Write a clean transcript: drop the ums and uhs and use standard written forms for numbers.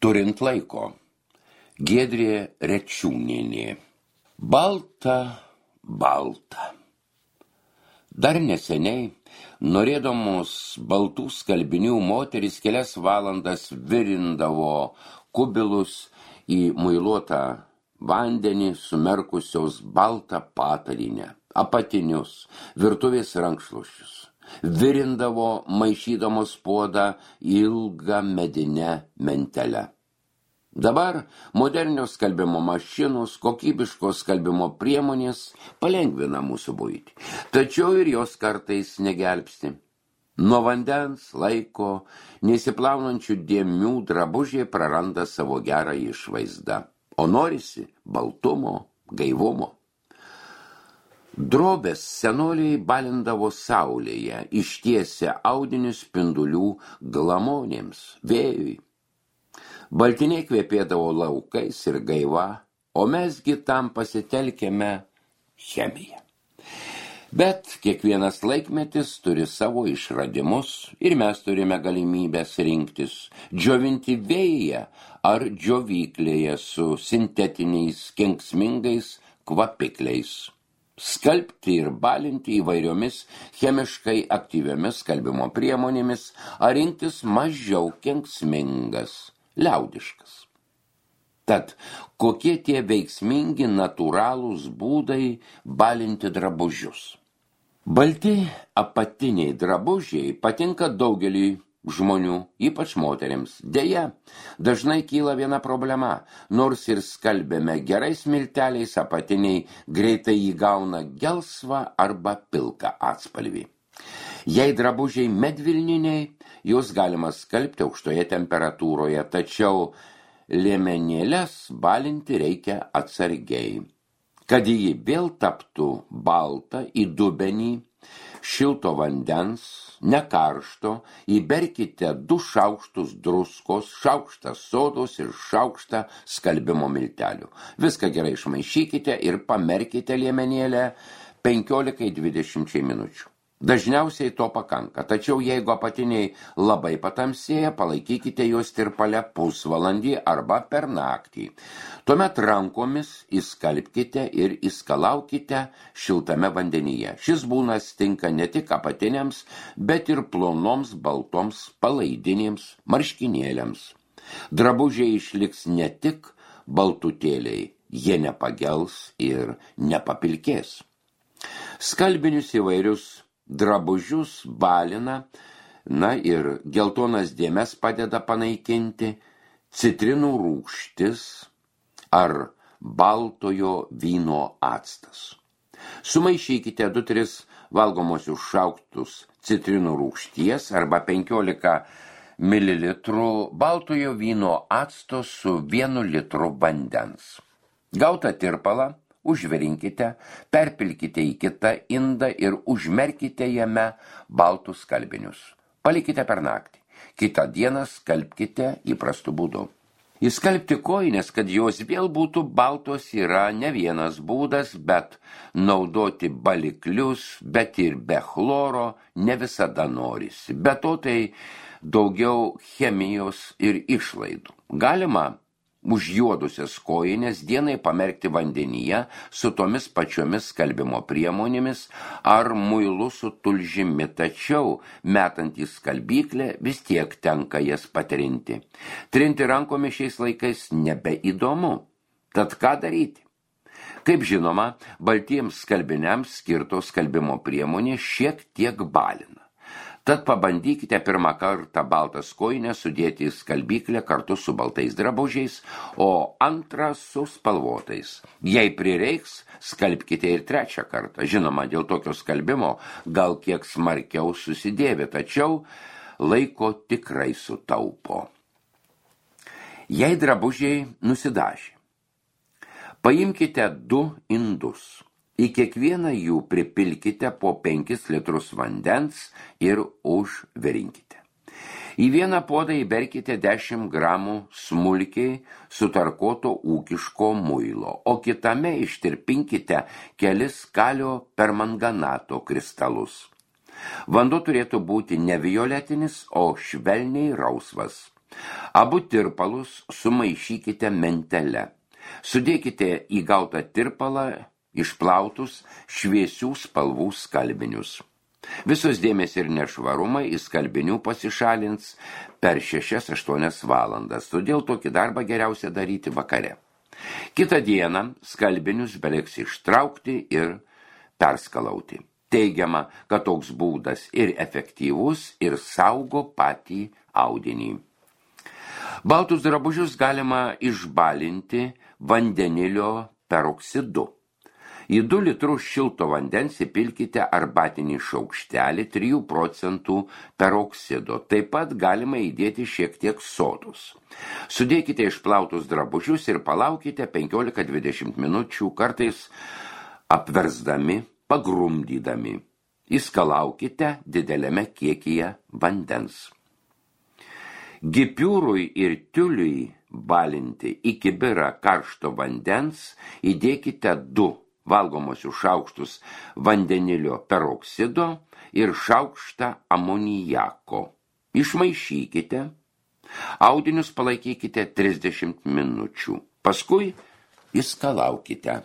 Turint laiko. Giedrė Rečiūnienė. Balta, balta. Dar neseniai, norėdamos baltų skalbinių, moterys kelias valandas virindavo kubilus į muiluotą vandenį, sumerkusios baltą patalinę, apatinius, virtuvės rankšluosčius. Virindavo maišydamos puodą ilgą medinę mentelę. Dabar modernios skalbimo mašinos, kokybiškos skalbimo priemonės palengvina mūsų buitį, tačiau ir jos kartais negelbsti. Nuo vandens, laiko, nesiplaunančių dėmių drabužiai praranda savo gerą išvaizdą, o norisi baltumo, gaivumo. Drobės senoliai balindavo saulėje, ištiesę audinius spindulių glamonėms, vėjui. Baltiniai kvepėdavo laukais ir gaiva, o mesgi tam pasitelkėme chemiją. Bet kiekvienas laikmetis turi savo išradimus ir mes turime galimybės rinktis, džiovinti vėjyje ar džiovyklėje su sintetiniais kenksmingais kvapikliais. Skalbti ir balinti įvairiomis chemiškai aktyviomis skalbimo priemonėmis ar rinktis mažiau kenksmingas. Liaudiškas. Tad kokie tie veiksmingi natūralūs būdai balinti drabužius? Balti apatiniai drabužiai patinka daugeliui žmonių, ypač moterims. Deja, dažnai kyla viena problema. Nors ir skalbėme gerais milteliais, apatiniai greitai įgauna gelsvą arba pilką atspalvį. Jei drabužiai medvilniniai, juos galima skalbti aukštoje temperatūroje, tačiau liemenėles balinti reikia atsargiai. Kad ji vėl taptų balta, į dubenį šilto vandens, nekaršto, įberkite 2 šaukštus druskos, šaukštą sodos ir šaukštą skalbimo miltelių. Viską gerai išmaišykite ir pamerkite liemenėlę 15-20 minučių. Dažniausiai to pakanka, tačiau jeigu apatiniai labai patamsėja, palaikykite juos tirpale pusvalandį arba per naktį. Tuomet rankomis įskalbkite ir įskalaukite šiltame vandenyje. Šis būnas tinka ne tik apatiniams, bet ir plonoms baltoms palaidinėms marškinėliams. Drabužiai išliks ne tik baltutėliai, jie nepagels ir nepapilkės. Skalbinius įvairius drabužius balina, ir geltonas dėmes padeda panaikinti, citrinų rūgštis ar baltojo vyno actas. Sumaišykite 2-3 valgomosius šaukštus citrinų rūgšties arba 15 ml baltojo vyno acto su 1 litru vandens. Gautą tirpalą užvirinkite, perpilkite į kitą indą ir užmerkite jame baltus skalbinius. Palikite per naktį. Kitą dieną skalbkite įprastu būdu. Įskalbti kojines, kad jos vėl būtų baltos, yra ne vienas būdas, bet naudoti baliklius, bet ir be chloro ne visada norisi. Be to tai daugiau chemijos ir išlaidų. Galima užjuodusias kojines dienai pamerkti vandenyje su tomis pačiomis skalbimo priemonėmis ar muilu su tulžimi, tačiau metant į skalbyklę vis tiek tenka jas patrinti. Trinti rankomis šiais laikais nebeįdomu. Tad ką daryti? Kaip žinoma, baltiems skalbiniams skirtos skalbimo priemonės šiek tiek balina. Tad pabandykite pirmą kartą baltas kojines sudėti į skalbyklę kartu su baltais drabužiais, o antrą su spalvotais. Jei prireiks, skalbkite ir 3 kartą. Žinoma, dėl tokio skalbimo gal kiek smarkiau susidėvi, tačiau laiko tikrai sutaupo. Jei drabužiai nusidažė, paimkite 2 indus. Į kiekvieną jų pripilkite po 5 litrus vandens ir užvirinkite. Į vieną puodą įberkite 10 gramų smulkiai sutarkuoto ūkiško muilo, o kitame ištirpinkite kelis kalio permanganato kristalus. Vanduo turėtų būti ne violetinis, o švelniai rausvas. Abu tirpalus sumaišykite mentele. Sudėkite į gautą tirpalą išplautus šviesių spalvų skalbinius. Visos dėmesį ir nešvarumai iš skalbinių pasišalins per 6-8 valandas, todėl tokį darbą geriausia daryti vakare. Kitą dieną skalbinius beliks ištraukti ir perskalauti. Teigiama, kad toks būdas ir efektyvus, ir saugo patį audinį. Baltus drabužius galima išbalinti vandenilio peroksidu. Į 2 litrus šilto vandens įpilkite arbatinį šaukštelį 3% peroksido. Taip pat galima įdėti šiek tiek sodos. Sudėkite išplautus drabužius ir palaukite 15-20 minučių, kartais apversdami, pagrumdydami. Įskalaukite dideliame kiekyje vandens. Gipiūrui ir tiuliui balinti į kibirą karšto vandens įdėkite 2 valgomosius šaukštus vandenilio peroksido ir šaukštą amonijako. Išmaišykite, audinius palaikykite 30 minučių, paskui įskalaukite.